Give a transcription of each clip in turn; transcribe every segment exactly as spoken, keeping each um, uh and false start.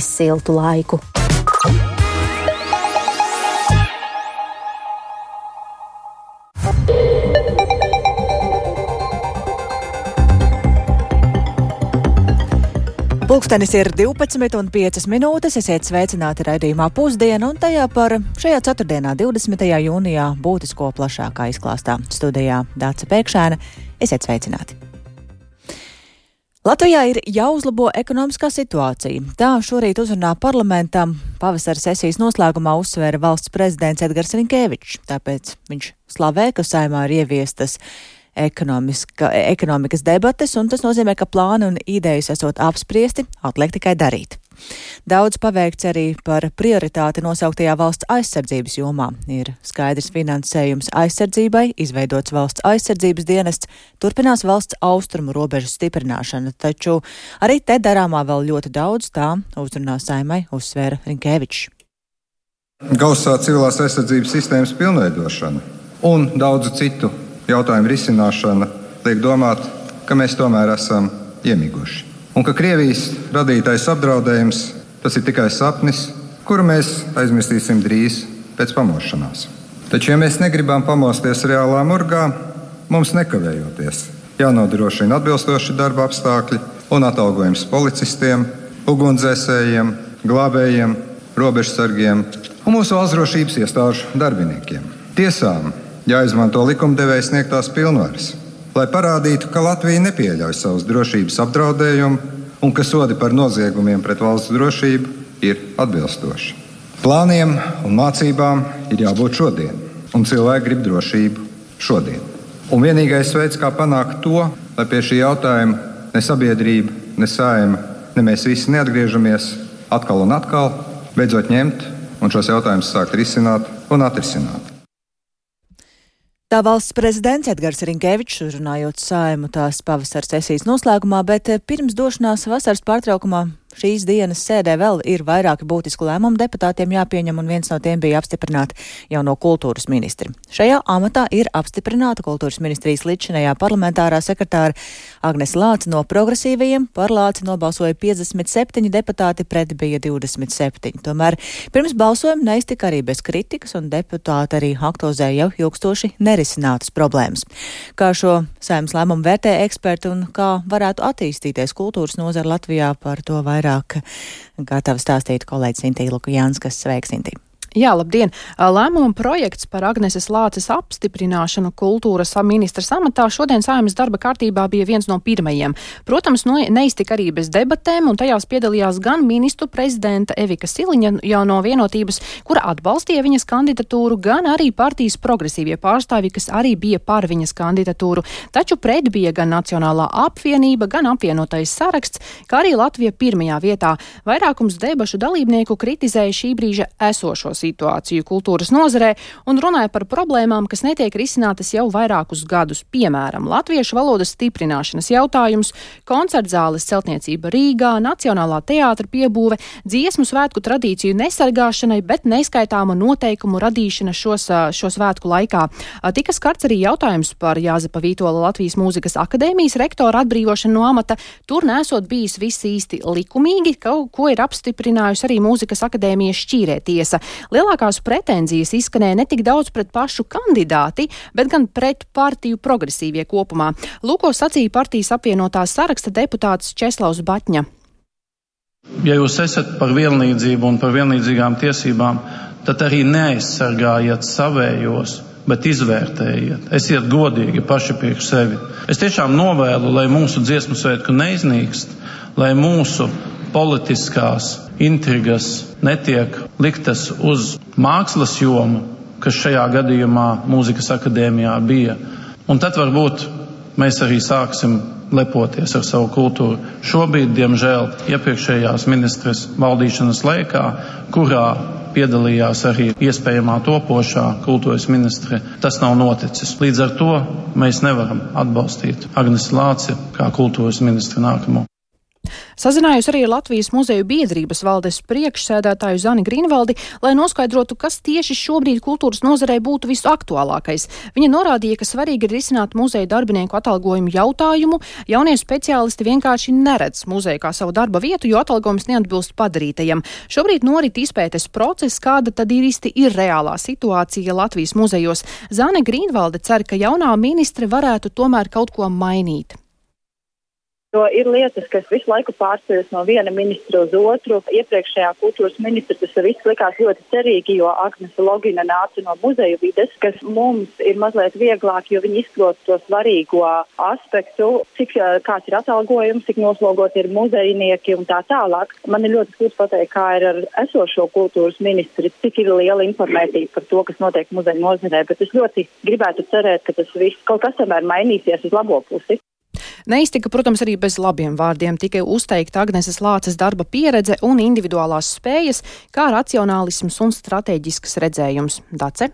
siltu laiku. Pulkstenis ir divpadsmit un piecas minūtes, esiet sveicināti raidījumā Pusdiena, un tajā par šajā ceturtdienā, divdesmitajā jūnijā, būtisko plašākā izklāstā. Studijā Dāca Pēkšēna, esiet sveicināti. Latvijā ir jāuzlabo ekonomiskā situācija. Tā šorīt uzrunā parlamentam pavasara sesijas noslēgumā uzsvēra valsts prezidents Edgars Rinkēvičs. Tāpēc viņš slavē, ka Saeimā ir ieviestas ekonomikas debates, un tas nozīmē, ka plāni un idejas esot apspriesti, atliek tikai darīt. Daudz paveikts arī par prioritāti nosauktajā valsts aizsardzības jomā. Ir skaidrs finansējums aizsardzībai, izveidots valsts aizsardzības dienests, turpinās valsts austrumu robežu stiprināšana, taču arī te darāmā vēl ļoti daudz, tā uzrunā Saeimai uzsvēra Rinkēvičs. Gausā civilās aizsardzības sistēmas pilnveidošana un daudzu citu jautājumu risināšana liek domāt, ka mēs tomēr esam iemiguši. Un ka Krievijas radītais apdraudējums, tas ir tikai sapnis, kuru mēs aizmirstīsim drīz pēc pamošanās. Taču, ja mēs negribam pamosties reālā murgā, mums nekavējoties jānodrošina atbilstoši darba apstākļi un atalgojums policistiem, ugunsdzēsējiem, glābējiem, robežsargiem un mūsu valsts drošības iestāžu darbiniekiem. Tiesām jāizmanto likumdevēja sniegtās pilnvaras, lai parādītu, ka Latvija nepieļauj savus drošības apdraudējumu un ka sodi par noziegumiem pret valsts drošību ir atbilstoši. Plāniem un mācībām ir jābūt šodien, un cilvēki grib drošību šodien. Un vienīgais veids, kā panākt to, lai pie šī jautājuma ne sabiedrība, ne Saeima, ne mēs visi neatgriežamies atkal un atkal, beidzot ņemt un šos jautājumus sākt risināt un atrisināt. Tā valsts prezidents Edgars Rinkēvičs uzrunājot Saeimu tās pavasara sesijas noslēgumā, bet pirms došanās vasaras pārtraukumā šīs dienas sēdē vēl ir vairāki būtiski lēmumi deputātiem jāpieņem, un viens no tiem bija apstiprināt jauno kultūras ministri. Šajā amatā ir apstiprināta kultūras ministrijas līdzšinējā parlamentārā sekretāra Agnese Lāce no progresīvajiem. Par Lāci nobalsoja piecdesmit septiņi deputāti, pret bija divdesmit septiņi. Tomēr pirms balsojuma neiztika arī bez kritikas, un deputāti arī aktualizēja jau ilgstoši nerisinātas problēmas. Kā šo Saeimas lēmumu vērtē eksperti un kā varētu attīstīties kultūras nozara Latvijā, par to vairāk gatava stāstīt kolēģis Intī Lukujānskas. Sveiks, Intī! Jā, labdien! Lēmuma projekts par Agneses Lāces apstiprināšanu kultūras ministras amatā šodien Saeimas darba kārtībā bija viens no pirmajiem. Protams, no, neiztika arī bez debatēm, un tajās piedalījās gan ministru prezidenta Evika Siliņa jau no Vienotības, kura atbalstīja viņas kandidatūru, gan arī partijas progresīvie pārstāvji, kas arī bija par viņas kandidatūru. Taču pret bija gan Nacionālā apvienība, gan apvienotais saraksts, kā arī Latvija pirmajā vietā. Vairākums debašu dalībnieku kritizēja šī brīža esošos situāciju kultūras nozarē un runāja par problēmām, kas netiek risinātas jau vairākus gadus. Piemēram, latviešu valodas stiprināšanas jautājums, koncertzāles celtniecība Rīgā, Nacionālā teātra piebūve, dziesmu svētku tradīciju nesargāšanai, bet neskaitāmu noteikumu radīšana šos, šo svētku laikā. Tika skarts arī jautājums par Jāzepa Vītola Latvijas Mūzikas akadēmijas rektora atbrīvošanu no amata. Tur nesot bijis viss īsti likumīgi, ko, ko ir apstiprinājusi arī Mūzikas akadēmijas šķīrētiesa. Lielākās pretenzijas izskanēja ne tik daudz pret pašu kandidāti, bet gan pret partiju progresīvie kopumā. Lūko sacīja partijas apvienotās saraksta deputāts Česlavs Baķņa. Ja jūs esat par vienlīdzību un par vienlīdzīgām tiesībām, tad arī neaizsargājiet savējos, bet izvērtējiet. Esiet godīgi paši priekš sevi. Es tiešām novēlu, lai mūsu dziesmu svētku neiznīkst, lai mūsu politiskās intrigas netiek liktas uz mākslas jomu, kas šajā gadījumā Mūzikas akadēmijā bija. Un tad varbūt mēs arī sāksim lepoties ar savu kultūru. Šobrīd, diemžēl, iepriekšējās ministres valdīšanas laikā, kurā piedalījās arī iespējamā topošā kultūras ministre, tas nav noticis. Līdz ar to mēs nevaram atbalstīt Agnesi Lāci kā kultūras ministru nākamo. Sazinājos arī ar Latvijas muzeju biedrības valdes priekšsēdētāju Zani Grīnvaldi, lai noskaidrotu, kas tieši šobrīd kultūras nozarei būtu visaktuālākais. Viņa norādīja, ka svarīgi ir risināt muzeju darbinieku atalgojumu jautājumu. Jaunie speciālisti vienkārši neredz muzeju kā savu darba vietu, jo atalgojums neatbilst padarītajam. Šobrīd norit izpētes process, kāda tad īsti ir reālā situācija Latvijas muzejos. Zane Grīnvalde cer, ka jaunā ministre varētu tomēr kaut ko mainīt. Jo ir lietas, kas visu laiku pārceļas no viena ministra uz otru. Iepriekšējā kultūras ministra tas viss likās ļoti cerīgi, jo Agnese Logina nāca no muzeju vides, kas mums ir mazliet vieglāk, jo viņi izprot to svarīgo aspektu, cik kāds ir atalgojums, cik noslogot ir muzejnieki un tā tālāk. Man ir ļoti grūti pateikt, kā ir ar esošo kultūras ministri, cik ir liela informētība par to, kas notiek muzeju nozarē, bet es ļoti gribētu cerēt, ka tas viss kaut kas tomēr mainīsies uz labo pusi. Neiztika, protams, arī bez labiem vārdiem, tikai uzteikta Agneses Lāces darba pieredze un individuālās spējas, kā racionālisms un strateģisks redzējums. Dace?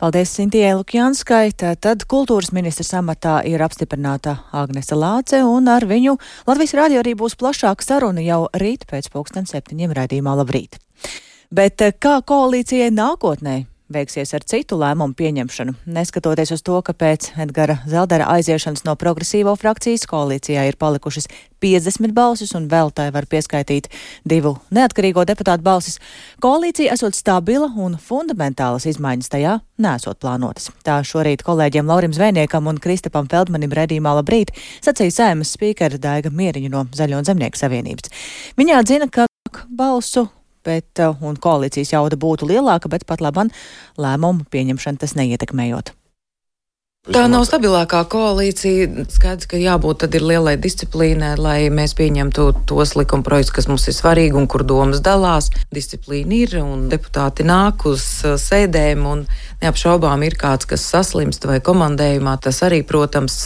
Paldies Sintijai Lukjanskai. Tad kultūras ministras amatā ir apstiprināta Agnese Lāce, un ar viņu Latvijas radio arī būs plašāka saruna jau rīt pēc pulksten septiņiem raidījumā Labrīt. Bet kā koalīcijai nākotnē veiksies ar citu lēmumu pieņemšanu? Neskatoties uz to, ka pēc Edgara Zeldera aiziešanas no progresīvo frakcijas koalīcijā ir palikušas piecdesmit balsis un vēl tai var pieskaitīt divu neatkarīgo deputātu balsis, koalīcija esot stabila un fundamentālas izmaiņas tajā nesot plānotas. Tā šorīt kolēģiem Laurim Zvejniekam un Kristapam Feldmanim raidījumā Labrīt sacīja Saeimas spīkere Daiga Mieriņa no Zaļo un Zemnieku savienības. Viņa atzina, ka balsu bet, un koalīcijas jauda būtu lielāka, bet pat laban lēmumu pieņemšana tas neietekmējot. Tā nav stabilākā koalīcija. Skaidrs, ka jābūt tad ir lielai disciplīnai, lai mēs pieņemtu tos likumprojektus, kas mums ir svarīgi un kur domas dalās. Disciplīna ir un deputāti nāk uz sēdēm un neapšaubām ir kāds, kas saslimst vai komandējumā. Tas arī, protams,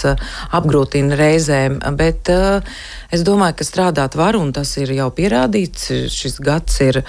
apgrūtina reizēm, bet uh, es domāju, ka strādāt var un tas ir jau pierādīts. Šis gads ir,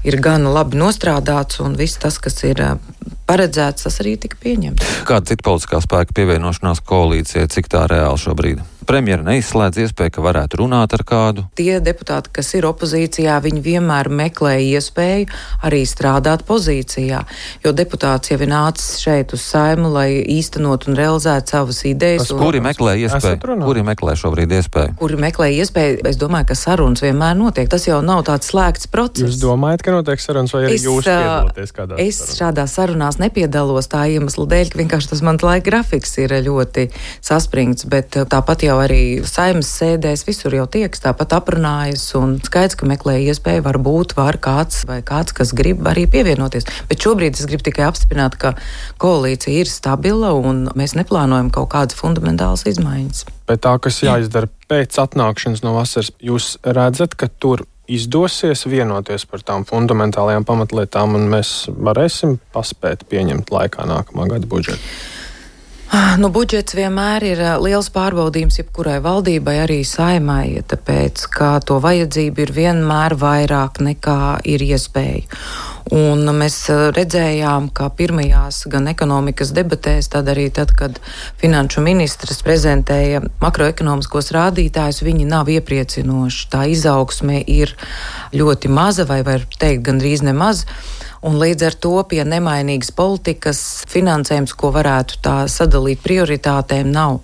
ir gan labi nostrādāts un viss tas, kas ir uh, paredzēts, tas arī tika pieņemts. Kāda cita politiskā spēka pievienošanās koalīcijai, cik tā reāli šobrīd? Premjera neizslēdz iespēju, ka varētu runāt ar kādu? Tie deputāti, kas ir opozīcijā, viņi vienmēr meklē iespēju arī strādāt pozīcijā, jo deputāts jau ir nācis šeit uz Saimu, lai īstenot un realizētu savas idejas. Un... Kuri meklē iespēju? Kuri meklē šobrīd iespēju? Kuri meklē iespēju? Es domāju, ka sarunas vienmēr notiek. Tas jau nav tāds slēgts process. Jūs domājat, ka notiek sarunas vai arī es, jūs piedalāties kādās es sarunās? Es šādās sarunās nepiedalos tā iemesla dēļ, ka vienkārši tas mans laika grafiks ir ļoti saspringts, bet tāpat jau arī Saeimas sēdēs visur jau tieks, tāpat aprunājas un skaidrs, ka meklē iespēju, varbūt var kāds vai kāds, kas grib arī pievienoties. Bet šobrīd es gribu tikai apstiprināt, ka koalīcija ir stabila un mēs neplānojam kaut kādas fundamentālas izmaiņas. Bet tā, kas jāizdara pēc atnākšanas no vasaras, jūs redzat, ka tur izdosies vienoties par tām fundamentālajām pamatlietām un mēs varēsim paspēt pieņemt laikā nākamā gada budžetu? Nu, budžets vienmēr ir liels pārbaudījums jebkurai valdībai, arī Saeimai, tāpēc, ka to vajadzību ir vienmēr vairāk nekā ir iespēja. Un mēs redzējām, ka pirmajās gan ekonomikas debatēs, tad arī tad, kad finanšu ministrs prezentēja makroekonomiskos rādītājus, viņi nav iepriecinoši. Tā izaugsme ir ļoti maza vai var teikt gandrīz nemaz. Un līdz ar to pie nemainīgas politikas finansējums, ko varētu tā sadalīt prioritātēm, nav.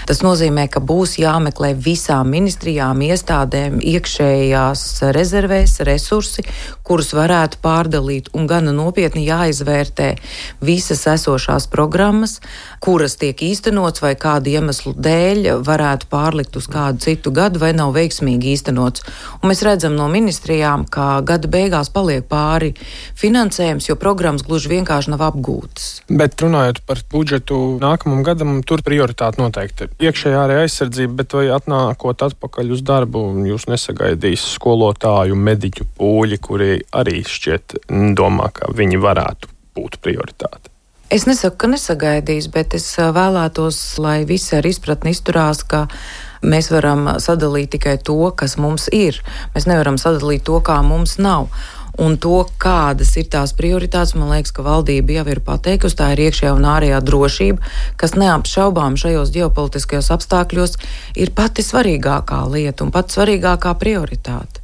Tas nozīmē, ka būs jāmeklē visām ministrijām, iestādēm iekšējās rezervēs resursi, kurus varētu pārdalīt un gana nopietni jāizvērtē visas esošās programmas, kuras tiek īstenots vai kādu iemeslu dēļ varētu pārlikt uz kādu citu gadu vai nav veiksmīgi īstenots. Un mēs redzam no ministrijām, ka gada beigās paliek pāri finansējums, jo programmas gluži vienkārši nav apgūtas. Bet runājot par budžetu nākamam gadam, tur prioritāte noteikti ir iekšējā arī aizsardzība, bet vai atnākot atpakaļ uz darbu, jūs nesagaidīs skolotāju, mediķu pūļi, kuri arī šķiet domā, ka viņi varētu būt prioritāte? Es nesaku, ka nesagaidīs, bet es vēlētos, lai visi ar izpratni izturās, ka mēs varam sadalīt tikai to, kas mums ir. Mēs nevaram sadalīt to, kā mums nav. un to, kādas ir tās prioritātes, man liekas, ka valdība jau ir pateikusi, tā ir iekšējā un ārējā drošība, kas neapšaubām šajos ģeopolitiskajos apstākļos ir pati svarīgākā lieta un pati svarīgākā prioritāte.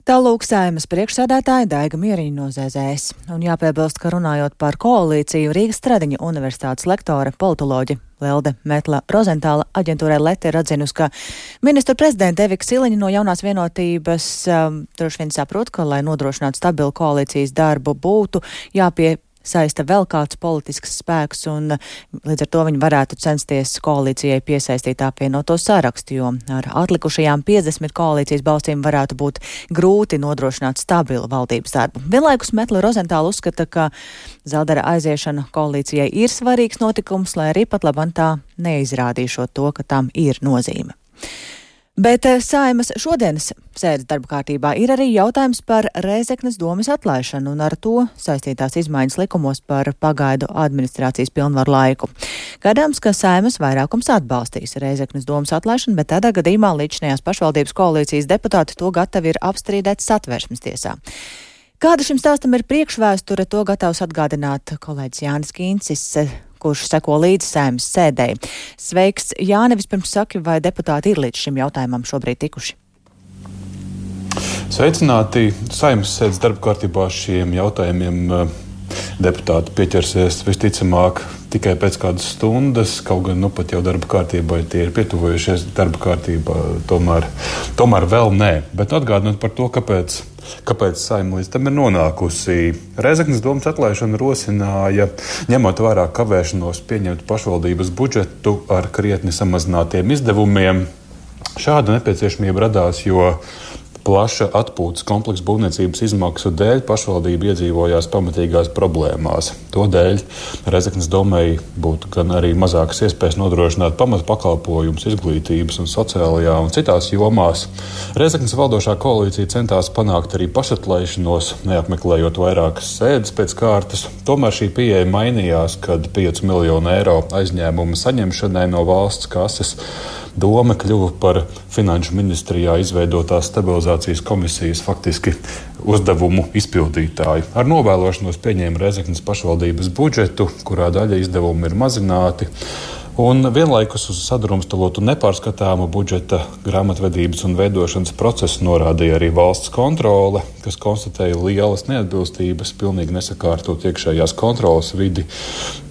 Tālūk Saeimas priekšsēdētāja Daiga Mieriņa no zē zē es. Un jāpiebilst, ka runājot par koalīciju, Rīgas Stradiņa universitātes lektore, politoloģe Lelde Metla Rozentāla aģentūrai Lete ir atzinusi, ka ministru prezidenta Evika Siliņa no jaunās vienotības um, droši vien saprot, ka, lai nodrošinātu stabilu koalīcijas darbu, būtu jāpie saista vēl kāds politisks spēks, un līdz ar to viņi varētu censties koalīcijai piesaistīt apvienoto sarakstu, jo ar atlikušajām piecdesmit koalīcijas balstīm varētu būt grūti nodrošināt stabilu valdības darbu. Vienlaikus Metla Rozentāla uzskata, ka Zeldera aiziešana koalīcijai ir svarīgs notikums, lai arī pat labam tā neizrādīšot to, ka tam ir nozīme. Bet Saeimas šodienas sēdes darba kārtībā ir arī jautājums par Rēzeknes domes atlaišanu un ar to saistītās izmaiņas likumos par pagaidu administrācijas pilnvaru laiku. Gaidāms, ka Saeimas vairākums atbalstīs Rēzeknes domes atlaišanu, bet tādā gadījumā līdzinājās pašvaldības koalīcijas deputāti to gatavi ir apstrīdēt Satversmes tiesā. Kāda šim stāstam ir priekšvēsture, to gatavs atgādināt kolēģis Jānis Kīncis, kurš seko līdzi Saeimas sēdēji. Sveiks, Jāni, vispirms saki, vai deputāti ir līdz šim jautājumam šobrīd tikuši? Sveicināti! Saeimas sēdes darba kārtībā šiem jautājumiem deputāti pieķersies visticamāk tikai pēc kādas stundas, kaut gan nu pat jau darba kārtībai tie ir pietuvojušies darba kārtībā, tomēr, tomēr vēl nē. Bet atgādinot par to, kāpēc, kāpēc Saeima līdz tam ir nonākusi. Rēzeknes domes atlaišana rosināja, ņemot vērā kavēšanos pieņemt pašvaldības budžetu ar krietni samazinātiem izdevumiem. Šāda nepieciešamība radās, jo plaša atpūtas kompleksa būvniecības izmaksu dēļ pašvaldība iedzīvojās pamatīgās problēmās. To dēļ Rēzeknes domei būtu gan arī mazākas iespējas nodrošināt pamatu pakalpojumus izglītības un sociālajā un citās jomās. Rēzeknes valdošā koalīcija centās panākt arī pašatlaišanos, neapmeklējot vairākas sēdes pēc kārtas. Tomēr šī pieeja mainījās, kad piecu miljonu eiro aizņēmuma saņemšanai no valsts kases doma kļuva par Finanšu ministrijā izveidotās stabilizācijas komisijas faktiski uzdevumu izpildītāju. Ar novēlošanos pieņēma Rēzeknes pašvaldības budžetu, kurā daļa izdevumu ir mazināti, un vienlaikus uz sadrumstalotu nepārskatāmu budžeta grāmatvedības un veidošanas procesu norādīja arī valsts kontrole, kas konstatēja lielas neatbilstības, pilnīgi nesakārtot iekšējās kontroles vidi,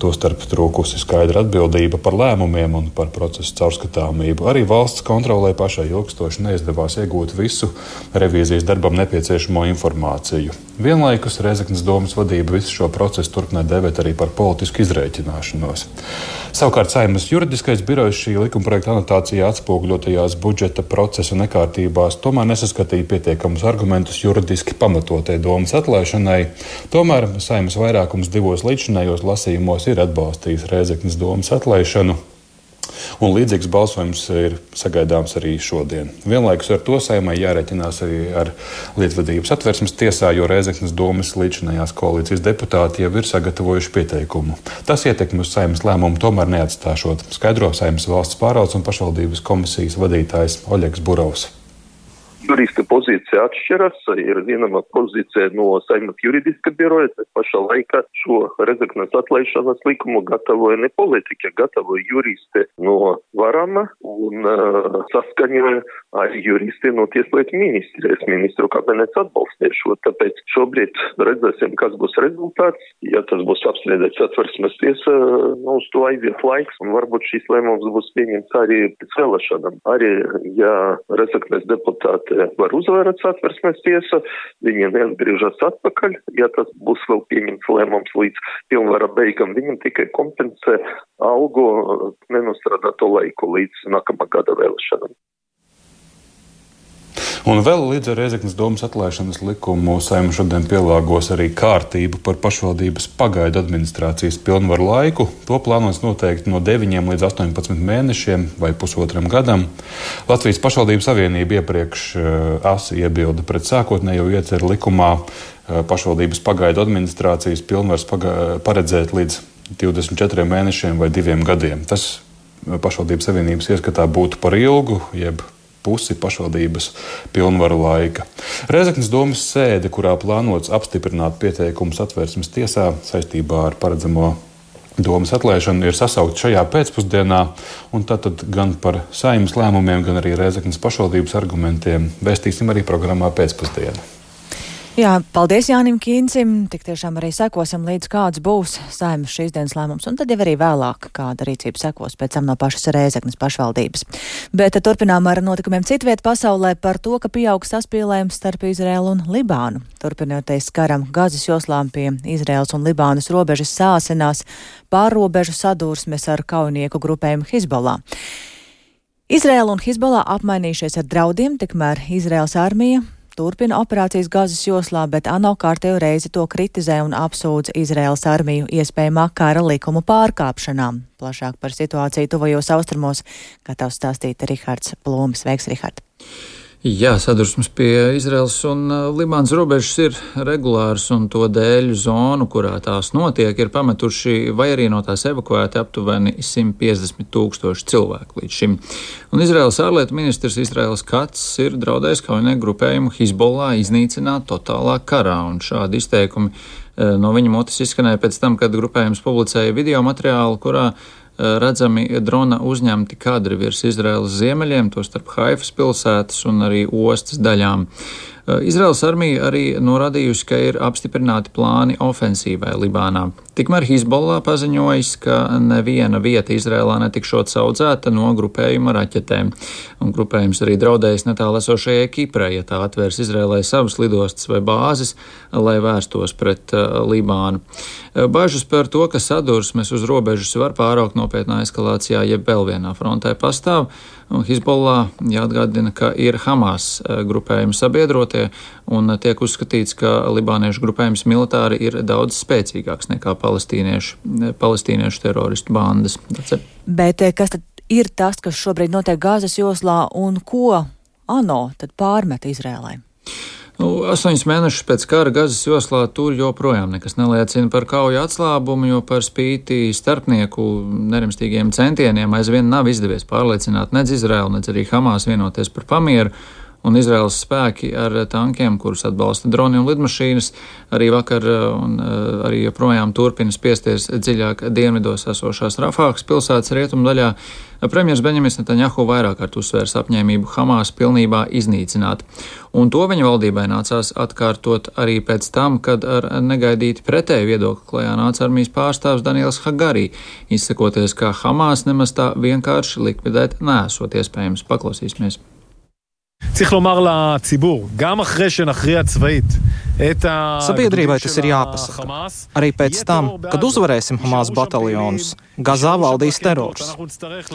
tostarp trūkusi skaidra atbildība par lēmumiem un par procesu caurskatāmību. Arī valsts kontrolē pašai ilgstoši neizdevās iegūt visu revīzijas darbam nepieciešamo informāciju. Vienlaikus Rēzeknes domes vadība visu šo procesu turpināja dēvēt arī par politisku izrēķināšanos. Savukārt Saeimas juridiskais birojs šī likumprojekta anotācijā atspoguļotajās budžeta procesa nekārtībās tomēr nesaskatīja pietiekamus argumentus juridiski pamatotai domes atlaišanai. Tomēr Saeimas vairākums divos līdzinājos lasījumos ir atbalstījis Rēzeknes domes atlaišanu. Un līdzīgs balsojums ir sagaidāms arī šodien. Vienlaikus ar to Saeimai jārēķinās arī ar lietvedības Satversmes tiesā, jo Rēzeknes domes līdzinājās koalīcijas deputāti jau ir sagatavojuši pieteikumu. Tas ietekmi uz Saeimas lēmumu tomēr neatstāšot, skaidro Saeimas valsts pārvaldes un pašvaldības komisijas vadītājs Oļegs Burovs. Jurista pozīcija atšķiras, ir vienama pozīcija no Saeimas juridiska biroja, bet pašā laikā šo Rēzeknes atlaišanas likumu gatavoja ne politiķi, gatavoja juristi no Varama un uh, saskaņoja ar juristi no Tieslietu ministrijas. Ministru kabinets atbalstīja šo, tāpēc šobrīd redzēsim, kas būs rezultāts. Ja tas būs apstrīdēts Satversmes tiesa, nu, uz to aiziet laiks, un varbūt šīs lēmums būs pieņemts arī pēc vēlēšanām. Arī, ja Rēzeknes deputāti var uzvērot Satversmes tiesa, viņiem neatgriežas atpakaļ, ja tas būs vēl pieņemts lēmums līdz pilnvara beigam, viņam tikai kompensē algu nenostrādāto laiku līdz nākamā gada vēlēšanām. Un vēl līdz ar Rēzeknes domes atlaišanas likumu Saeima šodien pielāgos arī kārtību par pašvaldības pagaidu administrācijas pilnvaru laiku. To plānots noteikt no deviņiem līdz astoņpadsmit mēnešiem vai pusotram gadam. Latvijas pašvaldības savienība iepriekš asi iebilda pret sākotnējo ieceru likumā pašvaldības pagaidu administrācijas pilnvaras paredzēt līdz divdesmit četriem mēnešiem vai diviem gadiem. Tas pašvaldības savienības ieskatā būtu par ilgu, jeb pusi pašvaldības pilnvaru laika. Rēzeknes domas sēde, kurā plānots apstiprināt pieteikumus Satversmes tiesā saistībā ar paredzamo domas atlaišanu, ir sasaukta šajā pēcpusdienā, un tātad gan par Saeimas lēmumiem, gan arī Rēzeknes pašvaldības argumentiem vēstīsim arī programmā pēcpusdienu. Jā, paldies Jānim Kīncim. Tik tiešām arī sekosim līdz kāds būs Saeimas šīs dienas lēmums, un tad jau arī vēlāk kāda rīcība sekos pēc tam no pašas Rēzeknes pašvaldības. Bet turpinām ar notikumiem citviet pasaulē par to, ka pieaug saspīlējums starp Izraēlu un Libānu. Turpinoties karam Gazas joslām pie Izraēlas un Libānas robežas sāsinās pārrobežu sadursmes ar kaujinieku grupējumu Hizbollah. Izraēla un Hizbollah apmainījušies ar draudiem, tikmēr Izraēlas armija turpina operācijas Gazas joslā, bet ANO kārtējo reizi to kritizē un apsūdz Izraēlas armiju iespējamā kara likumu pārkāpšanām. Plašāk par situāciju tuvajos austrumos gatavs stāstīt Rihards Plūmis. Veiks, Rihard! Jā, sadursmes pie Izraēlas un Libānas robežas ir regulārs, un to dēļ zonu, kurā tās notiek, ir pametuši vai arī no tās evakuēti aptuveni simt piecdesmit tūkstoši cilvēku līdz šim. Un Izraēlas ārlietu ministrs Izraēls Kats ir draudējis kaujinieku grupējumu Hizbollah iznīcināt totālā karā, un šādi izteikumi no viņa mutes izskanēja pēc tam, kad grupējums publicēja video materiālu, kurā redzami drona uzņemti kadri virs Izraēlas ziemeļiem, to starp Haifas pilsētas un arī ostas daļām. Izraēlas armija arī norādījusi, ka ir apstiprināti plāni ofensīvai Libānā. Tikmēr Hizbollah paziņojis, ka neviena vieta Izraēlā netikšot saudzēta no grupējuma raķetēm. Un grupējums arī draudējis netālu esošajai Kiprai, ja tā atvērs Izraēlai savas lidostas vai bāzes, lai vērstos pret uh, Libānu. Bažas par to, ka sadursmes uz robežas var pāraukt nopietnā eskalācijā, jeb vēl vienā frontē pastāv. Un Hizbollah jāatgādina, ka ir Hamas grupējuma sabiedrotie, un tiek uzskatīts, ka libāniešu grupējums militāri ir daudz spēcīgāks nekā palestīniešu, palestīniešu teroristu bandas. Bet kas tad ir tas, kas šobrīd notiek Gazas joslā, un ko ANO tad pārmet Izrēlai? Nu, astoņus mēnešus pēc kara Gazas joslā tur joprojām nekas neliecina par kauju atslābumu, jo par spīti starpnieku nerimstīgiem centieniem aizvien nav izdevies pārliecināt nec Izraēlu, nec arī Hamas vienoties par pamieru. Un Izraēlas spēki ar tankiem, kurus atbalsta droni un lidmašīnas, arī vakar un arī joprojām turpina spiesties dziļāk dienvidos esošās Rafākas pilsētas rietumu daļā. Premjers Benjamins Netanjahu vairāk kārt uzsvērs apņēmību Hamas pilnībā iznīcināt. Un to viņa valdībai nācās atkārtot arī pēc tam, kad ar negaidīti pretēju viedokli klajā nāca armijas pārstāvs Daniels Hagari, izsakoties, ka Hamas nemaz tā vienkārši likvidēt nesot iespējams. Paklausīsimies. צריך לומר לציבור, גם אחרי שנכריע צבאית את ה... Sabiedrībai tas ir jāpasaka. Arī pēc tam, kad uzvarēsim Hamas bataljonus, Gazā valdīs terors.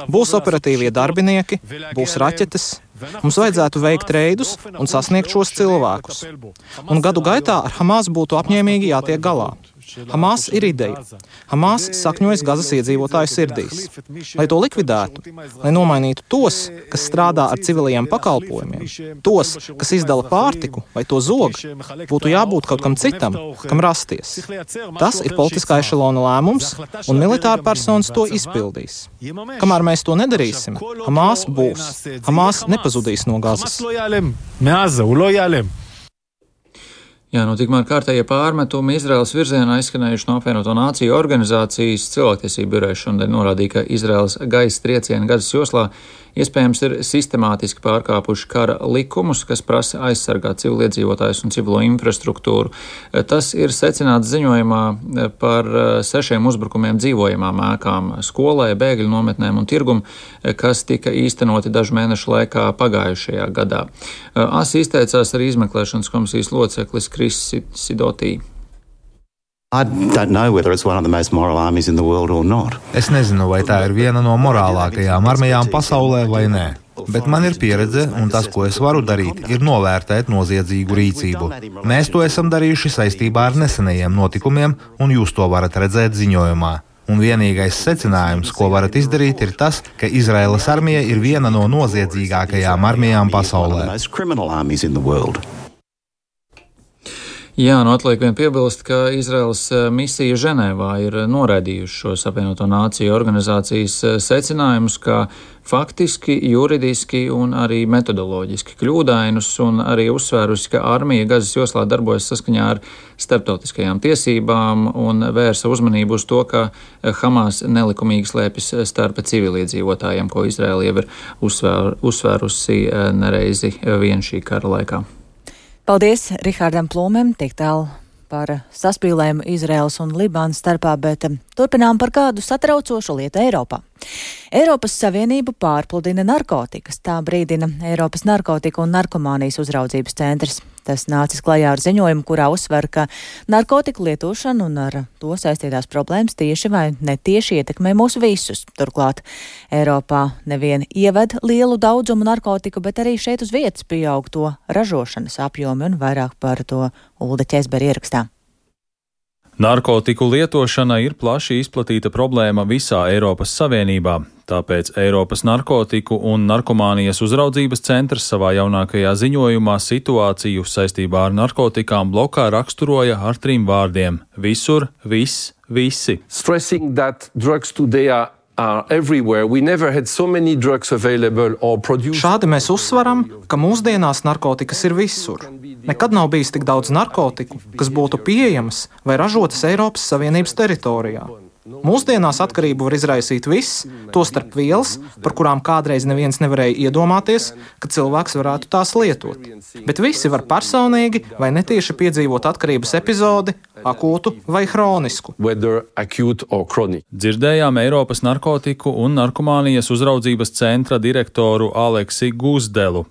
Būs operatīvie darbinieki, būs raķetes. Mums vajadzētu veikt reidus un sasniegt šos cilvēkus. Un gadu gaitā ar Hamas būtu apņēmīgi jātiek galā. Hamas ir ideja. Hamas sakņojas Gazas iedzīvotāju sirdīs. Lai to likvidētu, lai nomainītu tos, kas strādā ar civilajiem pakalpojumiem, tos, kas izdala pārtiku vai to zog, būtu jābūt kaut kam citam, kam rasties. Tas ir politiskā ešelona lēmums, un militāra personas to izpildīs. Kamēr mēs to nedarīsim, Hamas būs. Hamas nepazudīs no Gazas. Jā, nu tikmēr kārtējie pārmetumi Izraēlas virzienā izskanējuši no apvienoto nāciju organizācijas cilvēktiesību biroja šodien norādīja, ka Izraēlas gaisa triecieni Gazas joslā iespējams ir sistemātiski pārkāpuši kara likumus, kas prasa aizsargāt civiliedzīvotājus un civilo infrastruktūru. Tas ir secināts ziņojumā par sešiem uzbrukumiem dzīvojamām ēkām, skolai, bēgļu nometnēm un tirgumu, kas tika īstenoti dažu mēnešu laikā pagājušajā gadā. Asi izteicās arī izmeklēšanas komisijas loceklis Kris Sidotī. Es nezinu, vai tā ir viena no morālākajām armijām pasaulē vai nē, bet man ir pieredze, un tas, ko es varu darīt, ir novērtēt noziedzīgu rīcību. Mēs to esam darījuši saistībā ar nesenajiem notikumiem, un jūs to varat redzēt ziņojumā. Un vienīgais secinājums, ko varat izdarīt, ir tas, ka Izraēlas armija ir viena no noziedzīgākajām armijām pasaulē. Jā, nu atliek vien piebilst, ka Izraels misija Ženēvā ir noraidījuši šos apvienoto nāciju organizācijas secinājumus, kā faktiski, juridiski un arī metodoloģiski kļūdainus, un arī uzsvērusi, ka armija Gazas joslā darbojas saskaņā ar starptautiskajām tiesībām un vērsa uzmanību uz to, ka Hamas nelikumīgi slēpjas starp civiliedzīvotājiem, ko Izraela jau ir uzsvēr, uzsvērusi nereizi vien šī kara laikā. Paldies Rihardam Plūmēm, tik tālu par saspīlējumu Izraels un Libānas starpā, bet turpinām par kādu satraucošu lietu Eiropā. Eiropas Savienību pārpludina narkotikas, tā brīdina Eiropas narkotiku un narkomānijas uzraudzības centrs. Tas nācis klajā ar ziņojumu, kurā uzsver, ka narkotiku lietošana un ar to saistītās problēmas tieši vai netieši ietekmē mūs visus. Turklāt Eiropā nevien ieved lielu daudzumu narkotiku, bet arī šeit uz vietas pieaug to ražošanas apjomi, un vairāk par to Ulda Ķezbera ierakstā. Narkotiku lietošana ir plaši izplatīta problēma visā Eiropas Savienībā, tāpēc Eiropas narkotiku un narkomānijas uzraudzības centrs savā jaunākajā ziņojumā situāciju saistībā ar narkotikām blokā raksturoja ar trim vārdiem – visur, viss, visi. Stressing that drugs today are So Šādi mēs uzsveram, ka mūsdienās narkotikas ir visur. Nekad nav bijis tik daudz narkotiku, kas būtu pieejamas vai ražotas Eiropas Savienības teritorijā. Mūsdienās atkarību var izraisīt viss, tostarp vielas, par kurām kādreiz neviens nevarēja iedomāties, ka cilvēks varētu tās lietot. Bet visi var personīgi vai netieši piedzīvot atkarības epizodi, akūtu vai hronisku. Dzirdējām Eiropas narkotiku un narkomānijas uzraudzības centra direktoru Aleksi Guzdelu.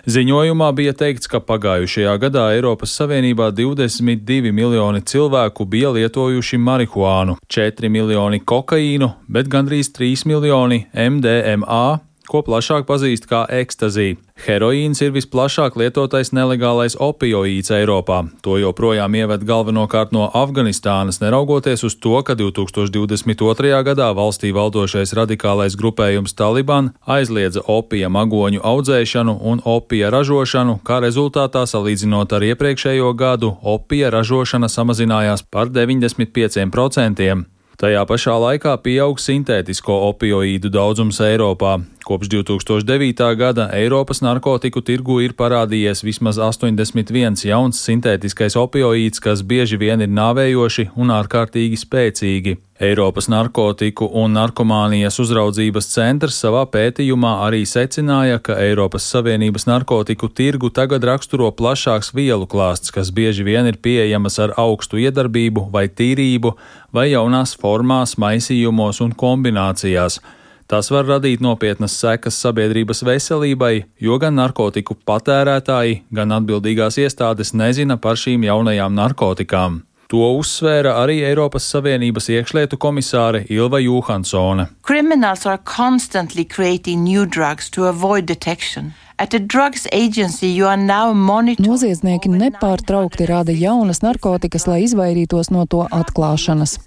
Ziņojumā bija teikts, ka pagājušajā gadā Eiropas Savienībā divdesmit divi miljoni cilvēku bija lietojuši marihuānu, četri miljoni kokaīnu, bet gandrīz trīs miljoni M D M A, ko plašāk pazīst kā ekstazī. Heroīns ir visplašāk lietotais nelegālais opioīds Eiropā. To joprojām ieved galvenokārt no Afganistānas, neraugoties uz to, ka divtūkstoš divdesmit otrajā gadā valstī valdošais radikālais grupējums Taliban aizliedza opija magoņu audzēšanu un opija ražošanu, kā rezultātā salīdzinot ar iepriekšējo gadu, opija ražošana samazinājās par deviņdesmit pieciem procentiem. Tajā pašā laikā pieaug sintētisko opioīdu daudzums Eiropā. Kopš divtūkstoš devītā gada Eiropas narkotiku tirgu ir parādījies vismaz astoņdesmit viens jauns sintētiskais opioīds, kas bieži vien ir nāvējoši un ārkārtīgi spēcīgi. Eiropas narkotiku un narkomānijas uzraudzības centrs savā pētījumā arī secināja, ka Eiropas Savienības narkotiku tirgu tagad raksturo plašāks vielu klāsts, kas bieži vien ir pieejamas ar augstu iedarbību vai tīrību vai jaunās formās, maisījumos un kombinācijās. Tas var radīt nopietnas sekas sabiedrības veselībai, jo gan narkotiku patērētāji, gan atbildīgās iestādes nezina par šīm jaunajām narkotikām. To uzsvēra arī Eiropas Savienības iekšlietu komisāre Ilva Johansone. Criminals are constantly creating new drugs to avoid detection. At the drugs agency you are now monitoring. Noziedznieki nepārtraukti rada jaunas narkotikas, lai izvairītos no to atklāšanas.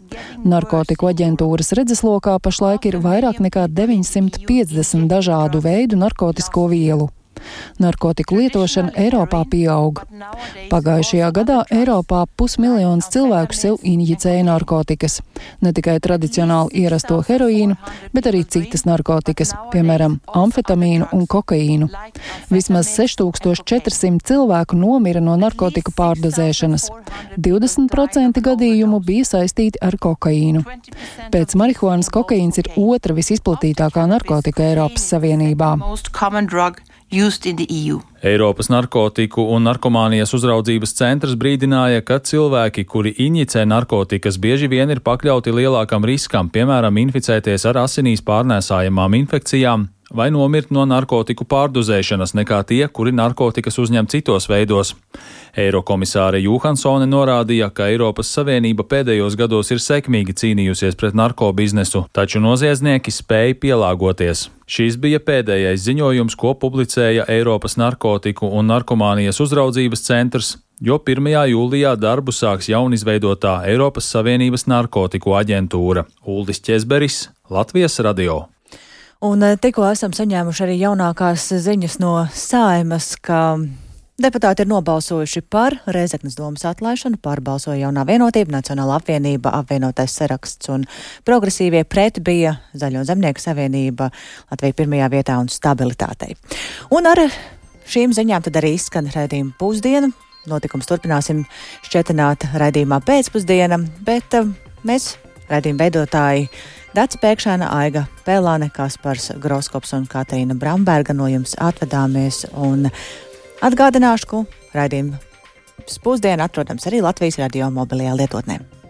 Narkotiku aģentūras redzeslokā pašlaik ir vairāk nekā deviņsimt piecdesmit dažādu veidu narkotisko vielu. Narkotiku lietošana Eiropā pieaug. Pagājušajā gadā Eiropā pusmiljons cilvēku sev injicēja narkotikas. Ne tikai tradicionāli ierasto heroīnu, bet arī citas narkotikas, piemēram, amfetamīnu un kokaīnu. Vismaz seši tūkstoši četri simti cilvēku nomira no narkotiku pārdozēšanas. divdesmit procenti gadījumu bija saistīti ar kokaīnu. Pēc marihuānas kokaīns ir otra visizplatītākā narkotika Eiropas Savienībā. Eiropas narkotiku un narkomānijas uzraudzības centrs brīdināja, ka cilvēki, kuri injicē narkotikas, bieži vien ir pakļauti lielākam riskam, piemēram, inficēties ar asinīs pārnēsājamām infekcijām vai nomirt no narkotiku pārdozēšanas nekā tie, kuri narkotikas uzņem citos veidos. Eirokomisāre Johansone norādīja, ka Eiropas Savienība pēdējos gados ir sekmīgi cīnījusies pret narkobiznesu, taču noziedznieki spēja pielāgoties. Šis bija pēdējais ziņojums, ko publicēja Eiropas narkotiku un narkomānijas uzraudzības centrs, jo pirmajā jūlijā darbu sāks jaunizveidotā Eiropas Savienības narkotiku aģentūra. Uldis Ķezberis, Latvijas radio. Un tikko esam saņēmuši arī jaunākās ziņas no Saeimas, ka Deputāti ir nobalsojuši par Rēzeknes domas atlaišanu, pārbalsoja Jaunā vienotība, Nacionālā apvienība, apvienotais saraksts un progresīvie, pret bija Zaļo zemnieku savienība, Latvija pirmajā vietā un stabilitātei. Un ar šīm ziņām tad arī izskan raidījuma pusdiena. Notikums turpināsim šķetināt raidījumā pēcpusdiena, bet uh, mēs, raidījuma veidotāji, Dace Pēkšēna, Aiga Pēlāne, Kaspars Groskops un Katrīna Bramberga no jums atvadāmies un atgādināšu, ka raidījuma pusdiena atrodams arī Latvijas radio mobilajā lietotnē.